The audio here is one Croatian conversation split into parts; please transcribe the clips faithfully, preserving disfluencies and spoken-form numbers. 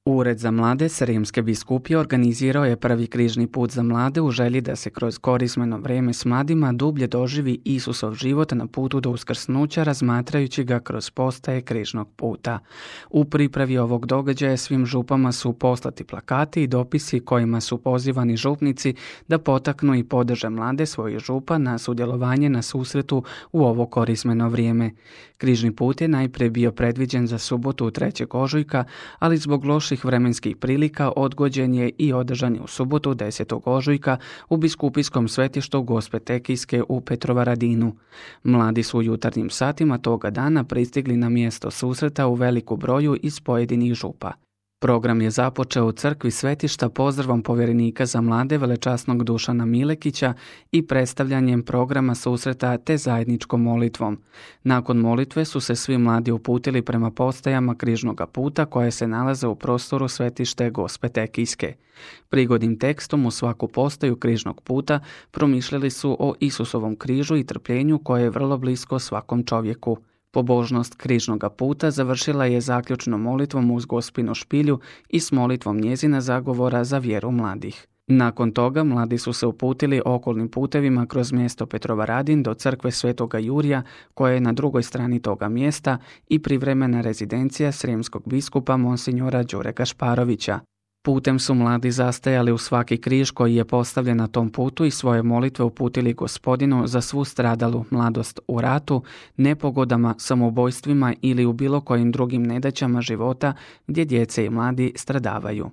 Ured za mlade Srijemske biskupije organizirao je prvi križni put za mlade u želji da se kroz korizmeno vrijeme s mladima dublje doživi Isusov život na putu do uskrsnuća, razmatrajući ga kroz postaje križnog puta. U pripravi ovog događaja svim župama su poslati plakati i dopisi kojima su pozivani župnici da potaknu i podrže mlade svojih župa na sudjelovanje na susretu u ovo korizmeno vrijeme. Križni put je najprije bio predviđen za subotu trećeg ožujka, ali zbog loših vremenskih prilika odgođen je i održan je u subotu desetog ožujka u biskupijskom svetištu Gospe Tekijske u Petrovaradinu. Mladi su u jutarnjim satima toga dana pristigli na mjesto susreta u veliku broju iz pojedinih župa. Program je započeo u crkvi svetišta pozdravom povjerenika za mlade velečasnog Dušana Milekića i predstavljanjem programa susreta te zajedničkom molitvom. Nakon molitve su se svi mladi uputili prema postajama križnoga puta koje se nalaze u prostoru svetište Gospe Tekijske. Prigodnim tekstom u svaku postaju križnog puta promišljali su o Isusovom križu i trpljenju koje je vrlo blisko svakom čovjeku. Pobožnost križnoga puta završila je zaključnom molitvom uz Gospinu špilju i s molitvom njezina zagovora za vjeru mladih. Nakon toga mladi su se uputili okolnim putevima kroz mjesto Petrovaradin do crkve Svetoga Jurija koja je na drugoj strani toga mjesta i privremena rezidencija srijemskog biskupa monsinjora Đure Gašparovića. Putem su mladi zastajali u svaki križ koji je postavljen na tom putu i svoje molitve uputili Gospodinu za svu stradalu mladost u ratu, nepogodama, samoubojstvima ili u bilo kojim drugim nedaćama života gdje djece i mladi stradavaju.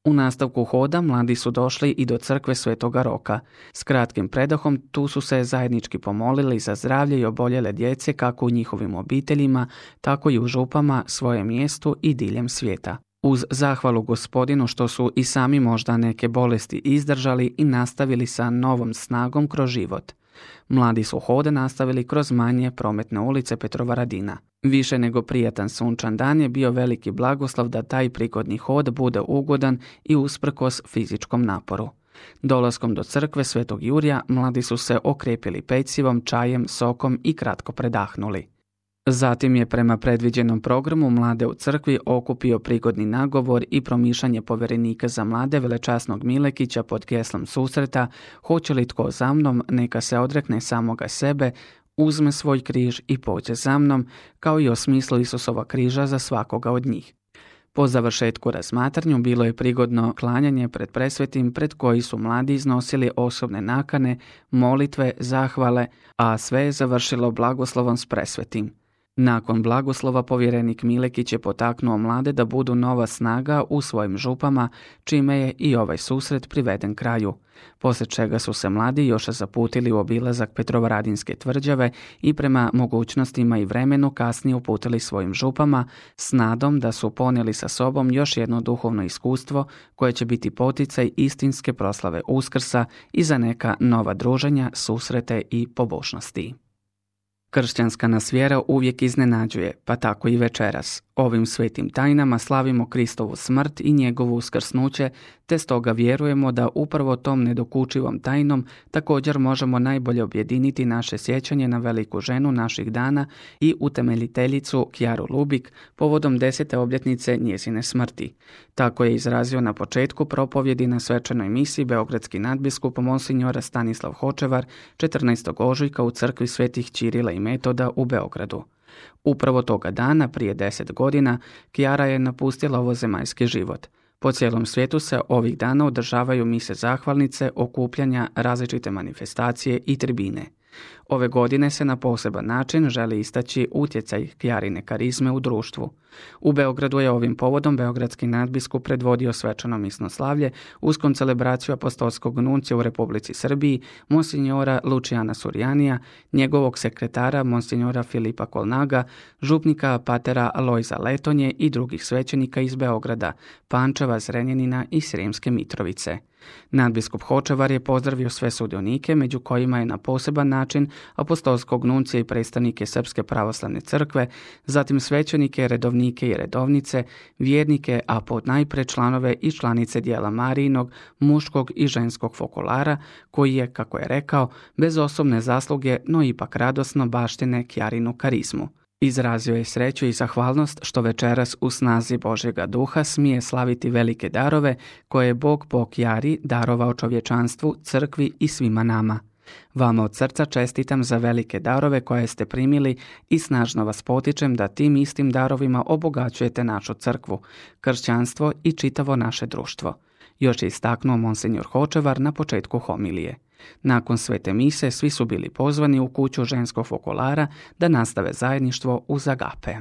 U nastavku hoda mladi su došli i do crkve Svetoga Roka. S kratkim predahom tu su se zajednički pomolili za zdravlje i oboljele djece kako u njihovim obiteljima, tako i u župama, svojem mjestu i diljem svijeta. Uz zahvalu Gospodinu što su i sami možda neke bolesti izdržali i nastavili sa novom snagom kroz život. Mladi su hode nastavili kroz manje prometne ulice Petrovaradina. Više nego prijatan sunčan dan je bio veliki blagoslov da taj prigodni hod bude ugodan i usprkos fizičkom naporu. Dolaskom do crkve Svetog Jurija mladi su se okrepili pecivom, čajem, sokom i kratko predahnuli. Zatim je prema predviđenom programu mlade u crkvi okupio prigodni nagovor i promišljanje povjerenika za mlade velečasnog Milekića pod geslom susreta "Hoće li tko za mnom, neka se odrekne samoga sebe, uzme svoj križ i pođe za mnom", kao i o smislu Isusova križa za svakoga od njih. Po završetku razmatranju bilo je prigodno klanjanje pred presvetim pred koji su mladi iznosili osobne nakane, molitve, zahvale, a sve je završilo blagoslovom s presvetim. Nakon blagoslova povjerenik Milekić je potaknuo mlade da budu nova snaga u svojim župama, čime je i ovaj susret priveden kraju. Poslije čega su se mladi još zaputili u obilazak Petrovaradinske tvrđave i prema mogućnostima i vremenu kasnije uputili svojim župama s nadom da su ponijeli sa sobom još jedno duhovno iskustvo koje će biti poticaj istinske proslave Uskrsa i za neka nova druženja, susrete i pobožnosti. Kršćanska nas vjera uvijek iznenađuje, pa tako i večeras. Ovim svetim tajnama slavimo Kristovu smrt i njegovo uskrsnuće, te stoga vjerujemo da upravo tom nedokučivom tajnom također možemo najbolje objediniti naše sjećanje na veliku ženu naših dana i utemeljiteljicu Kjaru Lubik povodom desete obljetnice njezine smrti. Tako je izrazio na početku propovjedi na svečanoj misiji beogradski nadbiskup monsinjor Stanislav Hočevar četrnaestog ožujka u crkvi svetih Ćirila i Metoda u Beogradu. Upravo toga dana, prije deset godina, Kjara je napustila ovozemaljski život. Po cijelom svijetu se ovih dana održavaju mise zahvalnice, okupljanja, različite manifestacije i tribine. Ove godine se na poseban način želi istaći utjecaj Kjarine karizme u društvu. U Beogradu je ovim povodom beogradski nadbiskup predvodio svečano misno slavlje uz koncelebraciju apostolskog nuncija u Republici Srbiji, monsinjora Lučijana Surjanija, njegovog sekretara monsinjora Filipa Kolnaga, župnika patera Lojza Letonje i drugih svećenika iz Beograda, Pančeva, Zrenjanina i Srijemske Mitrovice. Nadbiskup Hočevar je pozdravio sve sudionike, među kojima je na poseban način apostolskog nuncija i predstavnike Srpske pravoslavne crkve, zatim svećenike, redovnike i redovnice, vjernike, a ponajprije članove i članice dijela Marijinog, muškog i ženskog fokolara, koji je, kako je rekao, bez osobne zasluge, no ipak radosno baštine Kjarinu karizmu. Izrazio je sreću i zahvalnost što večeras u snazi Božjega duha smije slaviti velike darove koje je Bog Bog Jari darovao čovječanstvu, crkvi i svima nama. Vama od srca čestitam za velike darove koje ste primili i snažno vas potičem da tim istim darovima obogaćujete našu crkvu, kršćanstvo i čitavo naše društvo. Još je istaknuo monsinjor Hočevar na početku homilije. Nakon svete mise svi su bili pozvani u kuću ženskog fokolara da nastave zajedništvo uz agape.